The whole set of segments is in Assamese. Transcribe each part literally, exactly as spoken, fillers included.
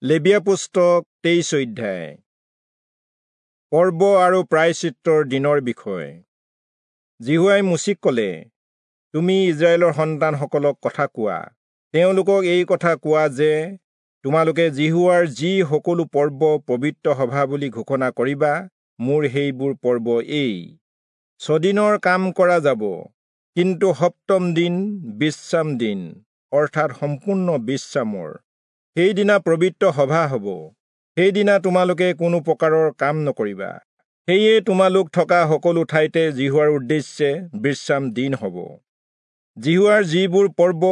লেবীয়া পুস্তক তেইশ অধ্যায়। পৰ্ব আৰু প্ৰায়শ্চিত্তৰ দিনৰ বিষয়। যিহোৱাই মোচিক ক'লে, তুমি ইস্ৰায়েলৰ সন্তানসকলক কথা কোৱা, তেওঁলোকক এই কথা কোৱা যে তোমালোকে যিহোৱাৰ যি সকলো পৰ্ব পবিত্ৰ সভা বুলি ঘোষণা কৰিবা, মোৰ সেইবোৰ পৰ্ব এই। ছদিনৰ কাম কৰা যাব, কিন্তু সপ্তম দিন বিশ্ৰাম দিন, অৰ্থাৎ সম্পূৰ্ণ বিশ্ৰামৰ। সেইদিনা পবিত্ৰ সভা হ'ব, সেইদিনা তোমালোকে কোনো প্ৰকাৰৰ কাম নকৰিবা। সেয়ে তোমালোক থকা সকলো ঠাইতে যিহোৱাৰ উদ্দেশ্যে বিশ্ৰাম দিন হ'ব। যিহোৱাৰ যিবোৰ পৰ্ব,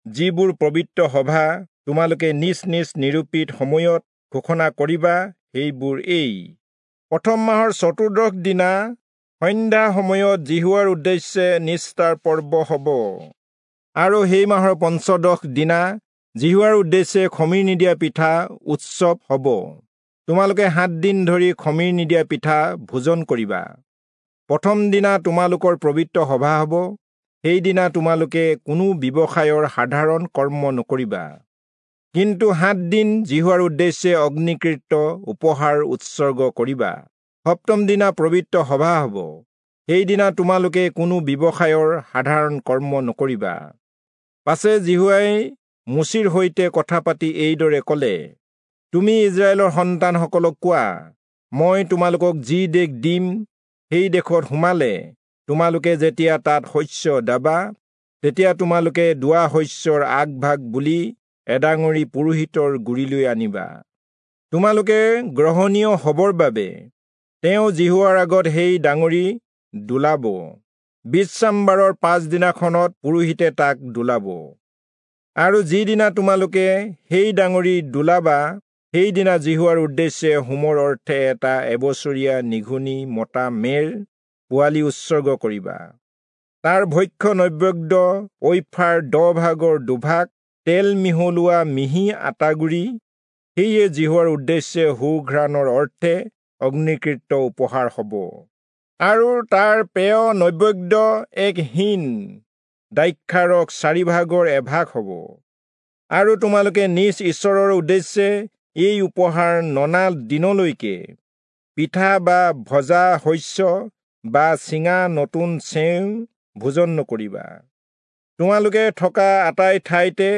যিবোৰ পবিত্ৰ সভা তোমালোকে নিজ নিজ নিৰূপিত সময়ত ঘোষণা কৰিবা, সেইবোৰ এই। প্ৰথম মাহৰ চতুৰ্দশ দিনা সন্ধ্যা সময়ত যিহোৱাৰ উদ্দেশ্যে নিস্তাৰ পৰ্ব হ'ব, আৰু সেই মাহৰ পঞ্চদশ দিনা যিহোৱাৰ উদ্দেশ্যে খমিৰ নিদিয়া পিঠা উৎসৱ হ'ব। তোমালোকে সাত দিন ধৰি খমিৰ নিদিয়া পিঠা ভোজন কৰিবা। প্ৰথম দিনা তোমালোকৰ পবিত্ৰ সভা হ'ব, সেইদিনা তোমালোকে কোনো ব্যৱসায়ৰ সাধাৰণ কৰ্ম নকৰিবা। কিন্তু সাত দিন যিহোৱাৰ উদ্দেশ্যে অগ্নিকৃত উপহাৰ উৎসৰ্গ কৰিবা। সপ্তম দিনা পবিত্ৰ সভা হ'ব, সেইদিনা তোমালোকে কোনো ব্যৱসায়ৰ সাধাৰণ কৰ্ম নকৰিবা। পাছে যিহোৱাই মোচিৰ সৈতে কথা পাতি এইদৰে ক'লে, তুমি ইস্ৰায়েলৰ সন্তানসকলক কোৱা, মই তোমালোকক যি দেশ দিম সেই দেশত সোমালে তোমালোকে যেতিয়া তাত শস্য দাবা, তেতিয়া তোমালোকে দোৱা শস্যৰ আগভাগ বুলি এডাঙৰি পুৰোহিতৰ গুৰিলৈ আনিবা। তোমালোকে গ্ৰহণীয় হ'বৰ বাবে তেওঁ যিহোৱাৰ আগত সেই ডাঙৰি দোলাব। বিশ্ৰামবাৰৰ পাছদিনাখনত পুৰোহিতে তাক দোলাব। আৰু যিদিনা তোমালোকে সেই ডাঙৰি দোলাবা, সেইদিনা যিহোৱাৰ উদ্দেশ্যে হোমৰ অৰ্থে এটা এবছৰীয়া নিঘুনি মতা মেৰ পোৱালি উৎসৰ্গ কৰিবা। তাৰ ভক্ষ্য নৈবেদ্য ঐফাৰ দহ ভাগৰ দুভাগ তেল মিহলোৱা মিহি আটাগুড়ি, সেয়ে যিহোৱাৰ উদ্দেশ্যে সুঘ্ৰাণৰ অৰ্থে অগ্নিকৃত উপহাৰ হ'ব। আৰু তাৰ পেয় নৈবেদ্য এক হীন দ্ৰাক্ষাৰস চাৰি ভাগৰ এভাগ হ'ব। আৰু তোমালোকে নিজ ঈশ্বৰৰ উদ্দেশ্যে এই উপহাৰ ননা দিনলৈকে পিঠা বা ভজা শস্য বা চিঙা নতুন চেও ভোজন নকৰিবা। তোমালোকে থকা আটাই ঠাইতে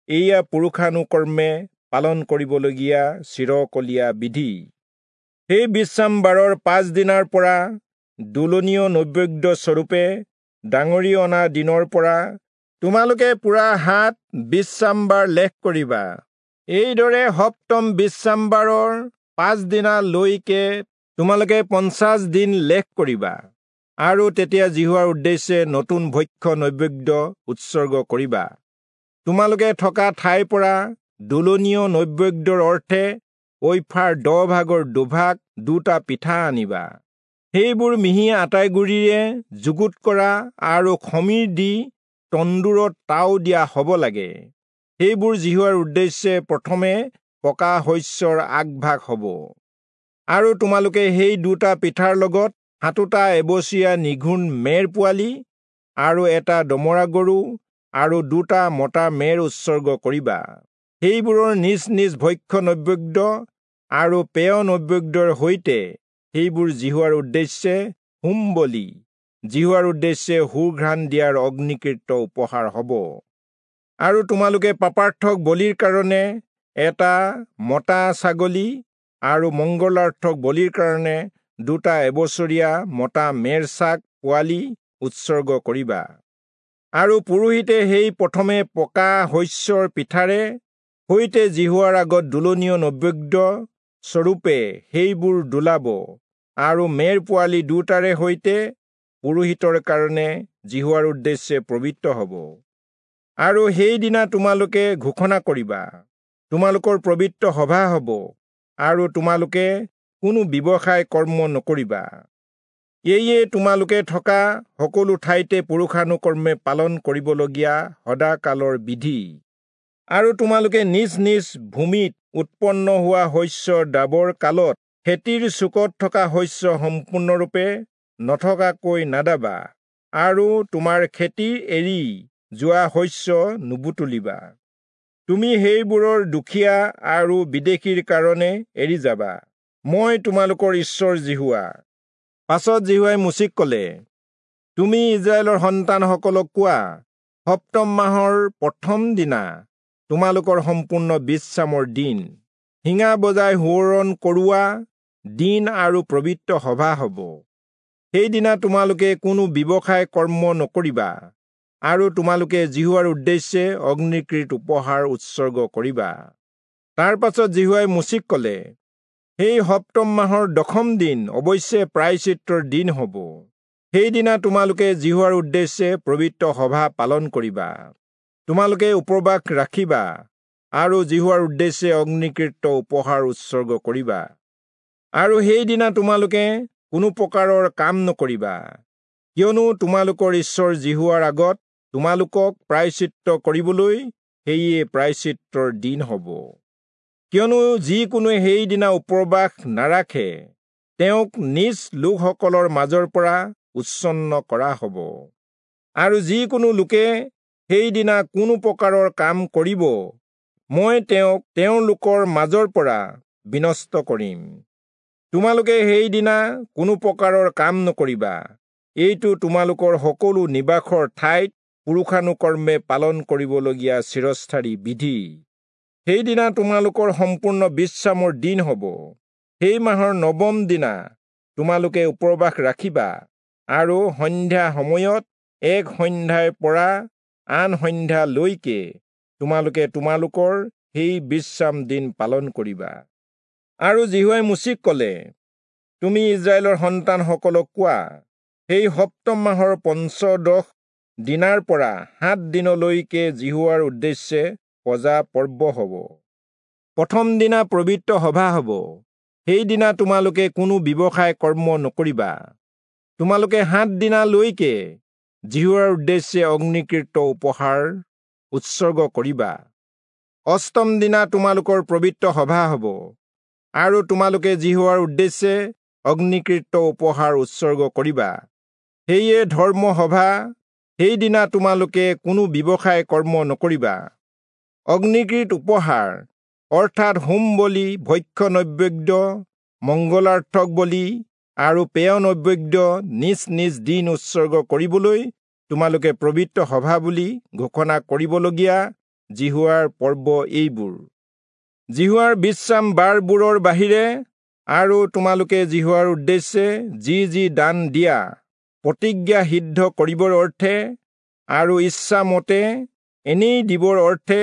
এয়া পুৰুষানুকৰ্মে পালন কৰিবলগীয়া চিৰকলীয়া বিধি। সেই বিশ্ৰামবাৰৰ পাছদিনাৰ পৰা দোলনীয় নৈবেদ্য স্বৰূপে ডাঙৰি অনা দিনৰ পৰা তোমালোকে পুৰা সাত বিশ্ৰামবাৰ লেখ কৰিবা। এইদৰে সপ্তম বিশ্ৰামবাৰৰ পাছদিনালৈকে তোমালোকে পঞ্চাছ দিন লেখ কৰিবা, আৰু তেতিয়া যিহোৱাৰ উদ্দেশ্যে নতুন ভক্ষ্য নৈবেদ্য উৎসৰ্গ কৰিবা। তোমালোকে থকা ঠাইৰ পৰা দোলনীয় নৈবেদ্যৰ অৰ্থে ঐফাৰ দহ ভাগৰ দুভাগ দুটা পিঠা আনিবা। সেইবোৰ মিহি আটাইগুড়িৰে যুগুত কৰা আৰু খমিৰ দি তন্দুৰত তাও দিয়া হ'ব লাগে। সেইবোৰ যিহোৱাৰ উদ্দেশ্যে প্ৰথমে পকা শস্যৰ আগভাগ হ'ব। আৰু তোমালোকে সেই দুটা পিঠাৰ লগত সাতোটা এবছৰীয়া নিঘুণ মেৰ পোৱালি আৰু এটা দমৰা গৰু আৰু দুটা মতা মেৰ উৎসৰ্গ কৰিবা। সেইবোৰৰ নিজ নিজ ভক্ষ্য নৈবেদ্য আৰু পেয় নৈবেদ্যৰ সৈতে সেইবোৰ যিহোৱাৰ উদ্দেশ্যে হোম বলি, যিহোৱাৰ উদ্দেশ্যে সুঘ্ৰাণ দিয়াৰ অগ্নিকৃত উপহাৰ হ'ব। আৰু তোমালোকে পাপাৰ্থক বলিৰ কাৰণে এটা মতা ছাগলী আৰু মংগলাৰ্থক বলিৰ কাৰণে দুটা এবছৰীয়া মতা মেৰ ছাগ পোৱালি উৎসৰ্গ কৰিবা। আৰু পুৰোহিতে সেই প্ৰথমে পকা শস্যৰ পিঠাৰে সৈতে যিহোৱাৰ আগত দোলনীয় নৈবেদ্য স্বৰূপে সেইবোৰ দোলাব, আৰু মেৰ পোৱালি দুটাৰে সৈতে পুৰোহিতৰ কাৰণে যিহোৱাৰ উদ্দেশ্যে পবিত্ৰ হ'ব। আৰু সেইদিনা তোমালোকে ঘোষণা কৰিবা, তোমালোকৰ পবিত্ৰ সভা হ'ব, আৰু তোমালোকে কোনো ব্যৱসায় কৰ্ম নকৰিবা। এয়ে তোমালোকে থকা সকলো ঠাইতে পুৰুষানুকৰ্মে পালন কৰিবলগীয়া সদাকালৰ বিধি। আৰু তোমালোকে নিজ নিজ ভূমিত উৎপন্ন হোৱা শস্যৰ দাবৰ কালত খেতিৰ চুকত থকা শস্য সম্পূৰ্ণৰূপে নথকাকৈ নাদাবা, আৰু তোমাৰ খেতি এৰি যোৱা শস্য নুবুটলিবা। তুমি সেইবোৰৰ দুখীয়া আৰু বিদেশীৰ কাৰণে এৰি যাবা। মই তোমালোকৰ ঈশ্বৰ যিহোৱা। পাছত যিহোৱাই মোচিক কলে, তুমি ইস্ৰায়েলৰ সন্তানসকলক কোৱা, সপ্তম মাহৰ প্ৰথম দিনা তোমালোকৰ সম্পূৰ্ণ বিশ্ৰামৰ দিন, শিঙা বজাই সোঁৱৰণ কৰোৱা দিন আৰু পবিত্ৰ সভা হ'ব। সেইদিনা তোমালোকে কোনো ব্যৱসায় কৰ্ম নকৰিবা, আৰু তোমালোকে যিহোৱাৰ উদ্দেশ্যে অগ্নিকৃত উপহাৰ উৎসৰ্গ কৰিবা। তাৰ পাছত যিহোৱাই মোচিক কলে, সেই সপ্তম মাহৰ দশম দিন অৱশ্যে প্ৰায়শ্চিত্তৰ দিন হ'ব। সেইদিনা তোমালোকে যিহোৱাৰ উদ্দেশ্যে পবিত্ৰ সভা পালন কৰিবা। তোমালোকে উপবাস ৰাখিবা আৰু যিহোৱাৰ উদ্দেশ্যে অগ্নিকৃত উপহাৰ উৎসৰ্গ কৰিবা। আৰু সেইদিনা তোমালোকে কোনো প্ৰকাৰৰ কাম নকৰিবা, কিয়নো তোমালোকৰ ঈশ্বৰ যিহোৱাৰ আগত তোমালোকক প্ৰায়শ্চিত্ত কৰিবলৈ সেয়ে প্ৰায়শ্চিত্তৰ দিন হ'ব। কিয়নো যিকোনোৱে সেইদিনা উপবাস নাৰাখে, তেওঁক নিজ লোকসকলৰ মাজৰ পৰা উচ্ছন্ন কৰা হ'ব। আৰু যিকোনো লোকে সেইদিনা কোনো প্ৰকাৰৰ কাম কৰিব, মই তেওঁক তেওঁলোকৰ মাজৰ পৰা বিনষ্ট কৰিম। তোমালোকে সেইদিনা কোনো প্ৰকাৰৰ কাম নকৰিবা। এইটো তোমালোকৰ সকলো নিবাসৰ ঠাইত পুৰুষানুকৰ্মে পালন কৰিবলগীয়া চিৰস্থায়ী বিধি। সেইদিনা তোমালোকৰ সম্পূৰ্ণ বিশ্ৰামৰ দিন হ'ব। সেই মাহৰ নৱম দিনা তোমালোকে উপবাস ৰাখিবা, আৰু সন্ধ্যা সময়ত এক সন্ধ্যাৰ পৰা আন সন্ধ্যালৈকে তোমালোকে তোমালোকৰ সেই বিশ্ৰাম দিন পালন কৰিবা। আৰু যিহোৱাই মোচিক কলে, তুমি ইস্ৰায়েলৰ সন্তানসকলক কোৱা, সেই সপ্তম মাহৰ পঞ্চদশ দিনাৰ পৰা সাত দিনলৈকে যিহোৱাৰ উদ্দেশ্যে পজা পৰ্ব হ'ব। প্ৰথম দিনা পবিত্ৰ সভা হ'ব। সেইদিনা তোমালোকে কোনো ব্যৱসায় কৰ্ম নকৰিবা। তোমালোকে সাত দিনালৈকে যিহোৱাৰ উদ্দেশ্যে অগ্নিকৃত উপহাৰ উৎসৰ্গ কৰিবা। অষ্টম দিনা তোমালোকৰ পবিত্ৰ সভা হ'ব, আৰু তোমালোকে যিহোৱাৰ উদ্দেশ্যে অগ্নিকৃত উপহাৰ উৎসৰ্গ কৰিবা। সেয়ে ধৰ্ম সভা, সেইদিনা তোমালোকে কোনো ব্যৱসায় কৰ্ম নকৰিবা। অগ্নিকৃত উপহাৰ অৰ্থাৎ হোম বলি, ভক্ষ্য নৈবেদ্য, মংগলাৰ্থক বলি আৰু পেয় নৈবেদ্য নিজ নিজ দিন উৎসৰ্গ কৰিবলৈ তোমালোকে পবিত্ৰ সভা বুলি ঘোষণা কৰিবলগীয়া যিহোৱাৰ পৰ্ব এইবোৰ। যিহোৱাৰ বিশ্ৰাম বাৰবোৰৰ বাহিৰে আৰু তোমালোকে যিহোৱাৰ উদ্দেশ্যে যি যি দান দিয়া, প্ৰতিজ্ঞা সিদ্ধ কৰিবৰ অৰ্থে আৰু ইচ্ছামতে এনেই দিবৰ অৰ্থে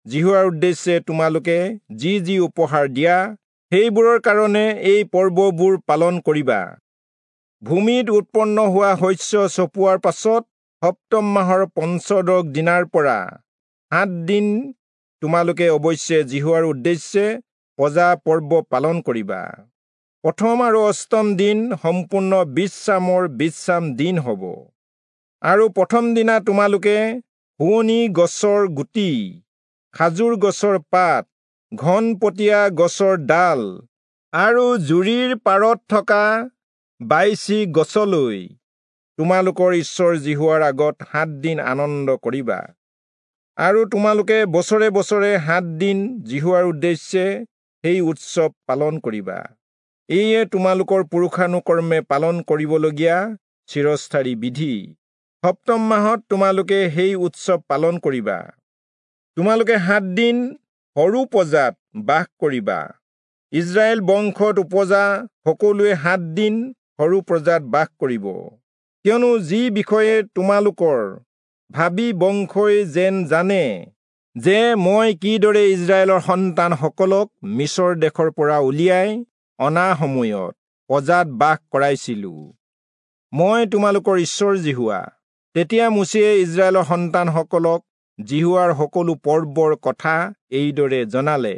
যিহোৱাৰ উদ্দেশ্যে তোমালোকে যি যি উপহাৰ দিয়া, সেইবোৰৰ কাৰণে এই পৰ্ববোৰ পালন কৰিবা। ভূমিত উৎপন্ন হোৱা শস্য চপোৱাৰ পাছত সপ্তম মাহৰ পঞ্চদশ দিনাৰ পৰা সাত দিন তোমালোকে অৱশ্যে যিহোৱাৰ উদ্দেশ্যে পজা পৰ্ব পালন কৰিবা। প্ৰথম আৰু অষ্টম দিন সম্পূৰ্ণ বিশ্ৰামৰ বিশ্ৰাম দিন হ'ব। আৰু প্ৰথম দিনা তোমালোকে শুৱনি গছৰ গুটি, খাজুৰ গছৰ পাত, ঘনপতীয়া গছৰ ডাল আৰু জুৰিৰ পাৰত থকা বাইচি গছলৈ তোমালোকৰ ঈশ্বৰ যিহোৱাৰ আগত সাত দিন আনন্দ কৰিবা। আৰু তোমালোকে বছৰে বছৰে সাত দিন যিহোৱাৰ উদ্দেশ্যে সেই উৎসৱ পালন কৰিবা। এয়ে তোমালোকৰ পুৰুষানুকৰ্মে পালন কৰিবলগীয়া চিৰস্থায়ী বিধি। সপ্তম মাহত তোমালোকে সেই উৎসৱ পালন কৰিবা। তোমালোকে সাত দিন সৰু পজাত বাস কৰিবা। ইস্ৰায়েল বংশত উপজা সকলোৱে সাত দিন সৰু প্ৰজাত বাস কৰিব। কিয়নো যি বিষয়ে তোমালোকৰ ভাবি বংশই যেন জানে যে মই কিদৰে ইস্ৰায়েলৰ সন্তানসকলক মিচৰ দেশৰ পৰা উলিয়াই অনা সময়ত পজাত বাস কৰাইছিলো। মই তোমালোকৰ ঈশ্বৰ যিহোৱা। তেতিয়া মোচিয়ে ইস্ৰায়েলৰ সন্তানসকলক যিহোৱাৰ সকলো পৰ্বৰ কথা এইদৰে জনালে।